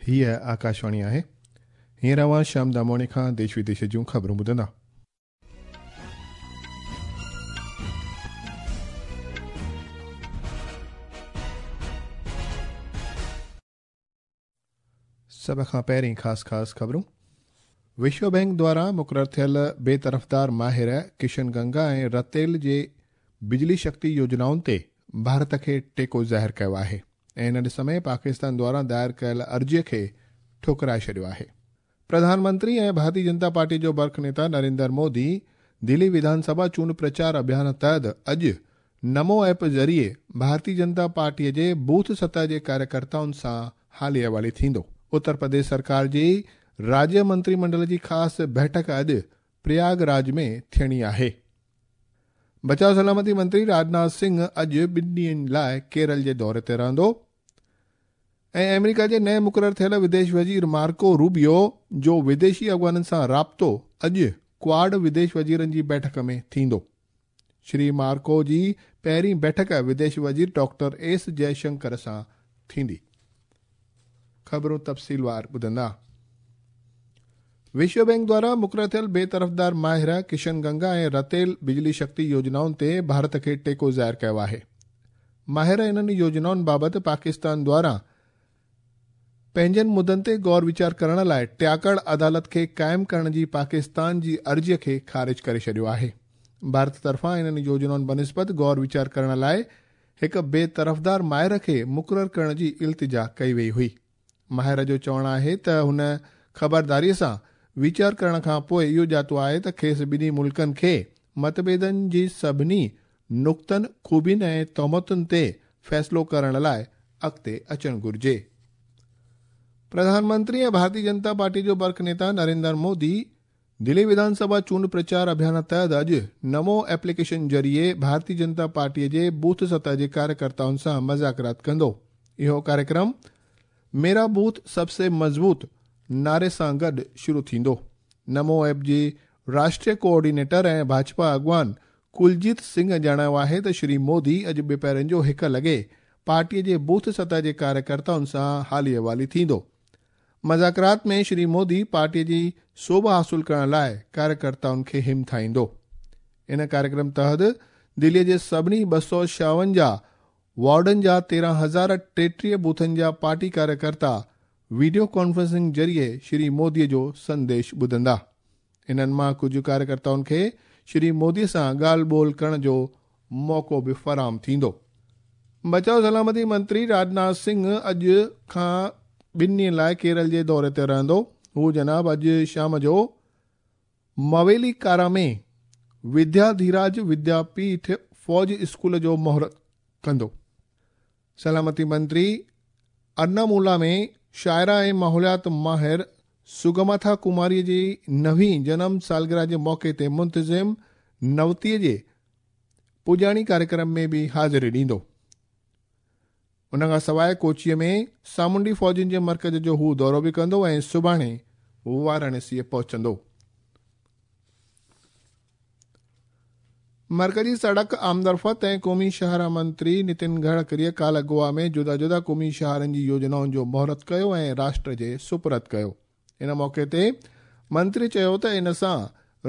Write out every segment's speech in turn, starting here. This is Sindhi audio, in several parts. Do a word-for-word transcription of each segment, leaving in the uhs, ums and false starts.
هيءَ آڪاشواڻي آهي. هينئر اوهان شيام داموڻي کان ديش وديش جون خبرون ٻڌندا. سڀ کان پهرين خاص خاص خبرون. وشو بينڪ دواران مقرر ٿيل بيطرفدار ماهر ڪشن گنگا ۽ رتيل جي بجلي شڪتي يوجنائن تي ڀارت کي ٽيڪو ظاهر ڪيو آهي ۽ ان ڏس ۾ پاڪستان دواران دائر ڪيل عرضيءَ کي ٺڪرائي ڇڏيو آهي. پرڌان منتري ۽ ڀارتيه جنتا پارٽي جو برک نيتا نريندر مودي دلي وڌان سڀا چونڊ پرچار اڀيان تحت اڄ نمو ايپ ذريعي ڀارتيه جنتا پارٽيءَ جي بوٿ سطح جي ڪاريڪرتائن سان حالي احوالي ٿيندو. اتر پرديش سرڪار جي راجيه منتري منڊل جي خاص بيٺڪ اڄ پرياگراج ۾ ٿيڻي آهي. بچاءُ سلامتي منتري راجناٿ سنگهه اڄ ٻن ڏينهن لاءِ ڪيرل جي دوري تي رهندو. ۽ آمريڪا جي نئين مقرر ٿيل وديش وزير مارڪو روبيو جو وديشي اڳواڻن سان رابطو اڄ ڪواڊ وديش وزيرن جي بيٺڪ ۾ ٿيندو. شري مارڪو جي پهرين بيٺڪ وديش وزير ڊاڪٽر ايس جئشنڪر سان ٿيندي. خبرون تفصيلوار ٻڌندا. وشو بينڪ دواران مقرر ٿيل بيطرفدار ماهر ڪشن گنگا ۽ رتيل بجلي شڪتي يوجنائن تي ڀارت کي ٽيڪو ظاهر ڪيو آهي. ماهر انهن يوجنائن بابت پاڪستان دواران پنهنجن مدن تي غور ويچار ڪرڻ لاءِ ٽياڪڙ عدالت کي قائم ڪرڻ جي پاڪستان جي عرضيءَ کي خارج ڪري ڇڏيو آهي. ڀارت طرفان انهن يوجنائن بنسبت غور ويچار ڪرڻ لاءِ هڪ بيطرفدار ماهر کي مقرر ڪرڻ جي التجا ڪئي وئي هئي. ماهر جو چوڻ آهي ته هن خبرداريءَ سان ويچار ڪرڻ کان پوءِ اهو ڄاتو آهي ته کيس ٻنهي ملڪن کي متڀيدن جي سڀني نقطن، خوبين ۽ تهمتن تي فيصلو ڪرڻ لاءِ اڳتي اچڻ گهرجي. پرڌان منتري ۽ ڀارتيه جنتا پارٽي جو برک نيتا نريندر مودي دلي وڌان سڀا چونڊ پرچار اڀيان تحت اڄ نمو ايپليڪيشن ذريعي ڀارتيه جنتا پارٽيءَ جي بوٿ سطح جي ڪاريڪرتائن سان مذاڪرات ڪندو. اهو ڪاريڪرم ميرا بوٿ سب سي مضبوط نعري سان گڏ شروع ٿيندو. نمو ايپ جي راشٽريه ڪوآرڊينيٽر ۽ ڀاجپا اڳواڻ ڪلجيت سنگهه ڄاڻايو آهي ته شري مودي اڄ ٻپهرن جو هڪ لڳي پارٽيءَ جي بوٿ سطح جي ڪاريڪرتائن سان حالي احوالي ٿيندو. مذاڪرات ۾ شري مودي پارٽيءَ جي سوڀ حاصل ڪرڻ لاءِ ڪاريڪرتائن کي همٿائيندو. ان ڪاريڪرم تحت دليءَ جي سڀني ٻه سؤ ڇاونجاهه وارڊن جا تيرهن هزار ٽيٽيهه بوٿن جا پارٽي ڪاريڪرتا وڊيو ڪانفرنسنگ ذريعي شري موديءَ جو سنديش ٻڌندا. انهن مان ڪجهه ڪاريڪرتائن کي شري موديءَ سان ڳالهه ٻولهه ڪرڻ جو موقعو به فراهم ٿيندو. بچاءُ سلامتي منتري راجناٿ سنگهه اڄ کان ٻن ڏينهن لاءِ ڪيرل جي دوري تي رهندو. هو جناب اڄ شام جو مويلي ڪارا ۾ ودياڌيراج ودياپيٺ فوج اسڪول جو مهورت ڪندو. سلامتي منتري ارنامولا ۾ شاعره ۽ ماحوليات ماهر سگماٿا ڪماريءَ جي نوين جنم سالگرهه جي موقعي تي منتظم نوتيءَ جي پڄاڻي ڪاريڪرم ۾ به حاضري ڏيندو. ان کان سواءِ ڪوچيءَ ۾ سامونڊي فوجن جي مرڪز جو هو دورو به ڪندو ۽ سڀاڻي وارانسيءَ پهچندو. مرڪزي سڙڪ آمدرفت ۽ قومي شاهراهه منتري نتن گڊڪريءَ ڪالهه گوا ۾ جدا جدا قومي شاهراهن جي يوجنائن جو مهورت ڪيو ۽ راشٽر جي سپرد ڪيو. ان موقعي تي منتري چيو ته ان سان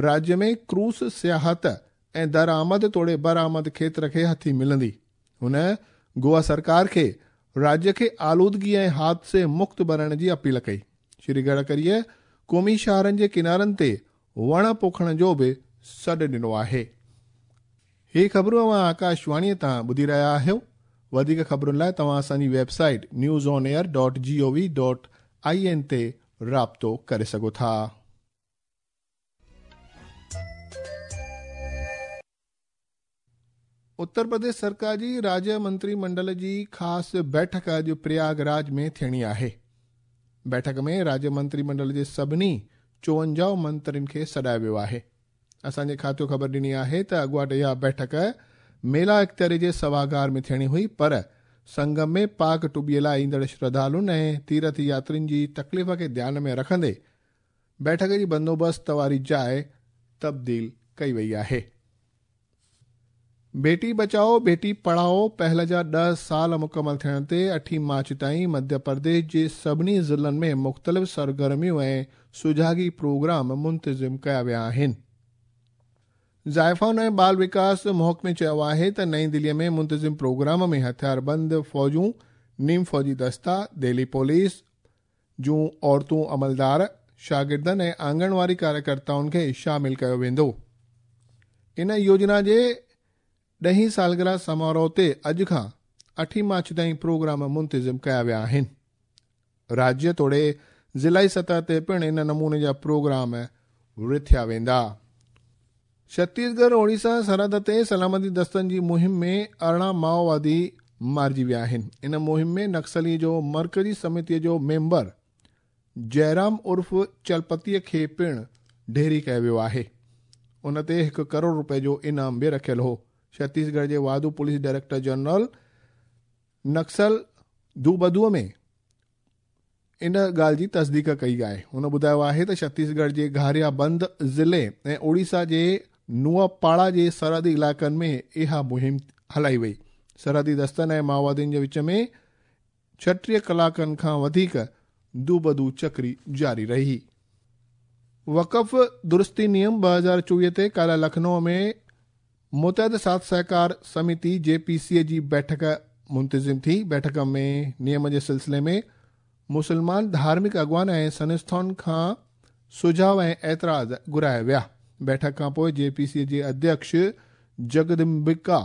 راجيه ۾ ڪروز سياحت ۽ درآمد توڙي برآمد کيتر کي هٿي ملندي. هن گوا سرڪار کي راجيه کي آلودگي ۽ حادثي مڪت بڻائڻ جي اپيل ڪئي. شري گڊڪريءَ قومي شاهراهن جي ڪنارن تي وڻ پوکڻ جو به سڏ ڏنو آهي. هي خبرون اوهان آڪاشواڻيءَ تان ٻڌي رهيا آهيو. وڌيڪ خبرن لاءِ توهان اسان جي website news on air dot G O V dot I N تي رابطو ڪري سگهو ٿا. اتر پرديش سرڪار جي راجيه منتري منڊل جي خاص بيٺڪ اڄ پرياگراج ۾ ٿيڻي آهي. بيٺڪ ۾ راجيه منتري منڊل جي سڀني چوونجاهه منترين کي سڏايو ويو آهي. اسان جي کاتو خبر ڏني آهي ته اڳواٽ اها بيٺڪ ميلا اختياري جي سڀاگار ۾ ٿيڻي هئي، پر سنگم ۾ پاڪ ٽٻيءَ لاءِ ايندڙ شرڌالن ۽ تيرٿ ياترين جي تڪليف کي ڌيان ۾ رکندي بيٺڪ جي بندوبست واري جاءِ تبديل ڪئي وئي آهي. بيٽي بچائو بيٽي پڙهائو پهل جا ڏهه سال مڪمل ٿيڻ تي اٺين مارچ تائين مڌيه پرديش جي سڀني ضلعن ۾ مختلف سرگرميون ۽ سجاڳي پروگرام منتظم ڪيا ويا آهن. زائفائن ۽ بال وڪاس محڪمي چيو آهي ته نئين دليء ۾ منتظم پروگرام ۾ هٿياربند فوجون، نيم فوجي دستا، دهلي پوليس جون عورتون عملدار، شاگردن ۽ آنگنواري ڪاريڪرتائن کي شامل ڪيو ويندو. ان يوجنا جي ڏهين سالگرهه سماروهه تي اڄ کان اٺين مارچ تائين پروگرام منتظم ڪيا ويا آهن. راجيه توڙي ضلعي سطح تي پڻ ان نموني جا پروگرام رٿيا ويندا. ڇتيسڳڙهه اوڙيسا سرحد تي سلامتي دستن جي مهم ۾ ارڙهن مائووادي مارجي ويا آهن. ان مهم ۾ نڪسلي جو مرڪزي سمتيء جو ميمبر جئرام عرف چلپتيء کي پڻ ڍيري ڪيو ويو آهي. ان تي هڪ ڪروڙ رپئي جو انعام به رکيل هو. ڇتيسڳڙهه جي واڌو پوليس ڊائريڪٽر جنرل نڪسل دوبدوء ۾ ان ڳالهه جي تصديق ڪئي آهي. هن ٻڌايو آهي ته ڇتيسڳڙهه جي گهاريا بند ضلعي ۽ اوڙيسا جي نوآپاڙا جي سرحدي علائقن ۾ اها مهم هلائي وئي. سرحدي دستن ۽ مائووادين جي وچ ۾ ڇٽيهه ڪلاڪن کان وڌيڪ دوبدو چڪري جاري رهي. وقف درستي نيم ٻه هزار چوويهه تي ڪالهه لکنؤ ۾ متحد ساٿ سهڪار سمتي جي پي سي جي بيٺڪ منتظم ٿي. بيٺڪ ۾ نيم جي سلسلي ۾ مسلمان ڌارمڪ اڳواڻ ۽ سنسٿائن کان سجهاءُ ۽ اعتراض گهرايا ويا. بيٺڪ کان پوءِ جي پي سي جي اڌيڪش جگدمبڪا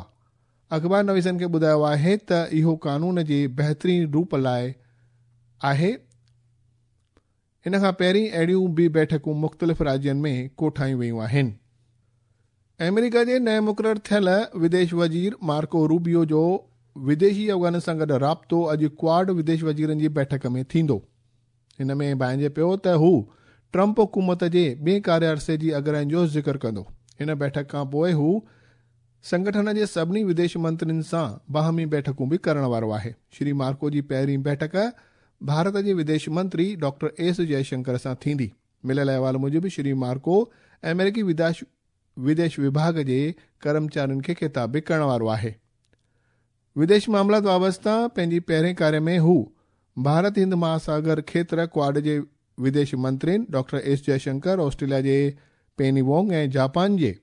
اخبار نويسن کي ٻڌايو آهي ته اهو قانون جي بهترين روپ لاءِ آهي. ان کان پهرين اهڙيون به بيٺڪون مختلف راجين ۾ ڪوٺايون ويون آهن. آمريڪا جي نئين مقرر ٿيل وديش وزير مارڪو روبيو جو وديشي اڳواڻن سان گڏ رابطو اڄ ڪواڊ وديش وزيرن جي بيٺڪ ۾ ٿيندو. هن ۾ ڀانئجي پيو ته هو ٽرمپ حڪومت جي ٻئي ڪاريه عرصي جي اڳراين جو ذڪر ڪندو. هن بيٺڪ کان پوءِ هو سنگٺن جي سڀني وديش منترين سان باهمي بيٺڪون به ڪرڻ وارو آهي. شري مارڪو جي پهرين بيٺڪ ڀارت جي وديش منتري ڊاڪٽر ايس جئشنڪر سان ٿيندي. مليل احوال موجب شري مارڪو آمريڪي وديش وديش وڀاڳ جي ڪرمچارين کي خطاب به ڪرڻ وارو آهي. وديش معاملات وابسته پنهنجي پهرين ڪاريه ۾ هو ڀارت هند مهاساگر کيتر ڪواڊ جي وديش منترين ڊاڪٽر ايس جئشنڪر، آسٽريليا جي پيني وانگ ۽ جاپان جي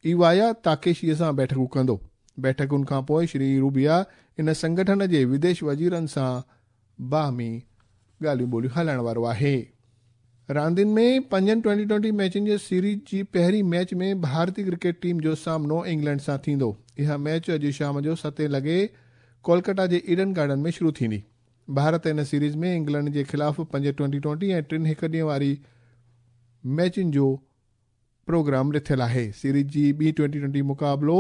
ايوايا تاڪيشيءَ سان بيٺڪون ڪندو. بيٺڪن کان پوءِ شري روبيا ان سنگٺن جي وديش وزيرن سان باهمي ڳالهيون ٻولهيون هلائڻ وارو آهي. راندين ۾ پنجن ٽوئنٽي ٽوئنٽي ميچن جي سيريز جي پهرين ميچ ۾ ڀارتي ڪرڪيٽ ٽيم جو سامنو انگلينڊ سان ٿيندو. اها ميچ اڄ شام جو ستين لڳي ڪولڪاتا جي ايڊن گارڊن ۾ شروع ٿيندي. ڀارت هن سيريز ۾ انگلينڊ جي خلاف پنج ٽوئنٽي ٽوئنٽي ۽ ٽن هڪ ڏينهن واري ميچن جو پروگرام رٿيل آهي. سيريز جي ٻي ٽوئنٽي ٽوئنٽي مقابلو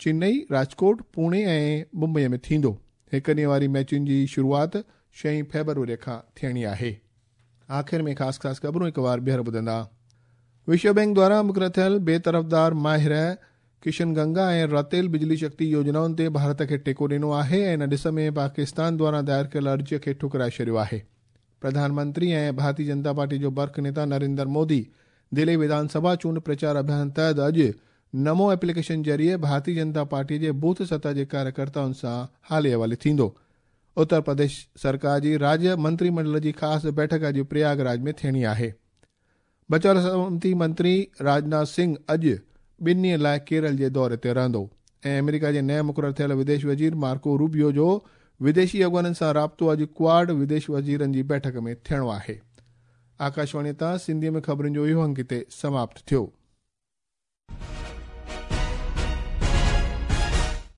چنئي، راجڪوٽ، پوني ۽ ممبئي ۾ ٿيندو. هڪ ڏينهن واري ميچن جي شروعات ڇهين فيبروري کان ٿيڻي آهي. آخر ۾ خاص خاص خبرون هڪ بار ٻيهر ٻڌندا. وشو بينڪ دواران مقرر ٿيل بيطرفدار ماهر ڪشن گنگا ۽ رتيل بجلي شڪتي يوجنائن تي ڀارت کي ٽيڪو ڏنو آهي ۽ ان ڏس ۾ پاڪستان دواران دائر ڪيل عرضيءَ کي ٺڪرائي ڇڏيو آهي. پرڌان منتري ۽ ڀارتيه جنتا پارٽي جو برک نيتا نريندر مودي دلي وڌان سڀا چونڊ پرچار اڀيان تحت اڄ نمو ايپليڪيشن ذريعي ڀارتيه جنتا پارٽي جي بوٿ سطح جي ڪاريڪرتائن سان حالي حوالي ٿيندو. اتر پرديش سرڪار جي راجيه منتري منڊل جي خاص بيٺڪ اڄ پرياگراج ۾ ٿيڻي آهي. بچاءُ سلامتي منتري راجناٿ سنگهه اڄ ٻن ڏينهن لاءِ ڪيرل جي دوري تي رهندو ۽ آمريڪا جي نئين مقرر ٿيل وديش وزير مارڪو روبيو جو وديشي اڳواڻن سان رابطو اڄ ڪواڊ وديش وزيرن جي بيٺڪ ۾ ٿيڻو آهي. آڪاشواڻي تان سنڌيءَ ۾ خبرن جو اهو انگ هتي سماپت ٿيو.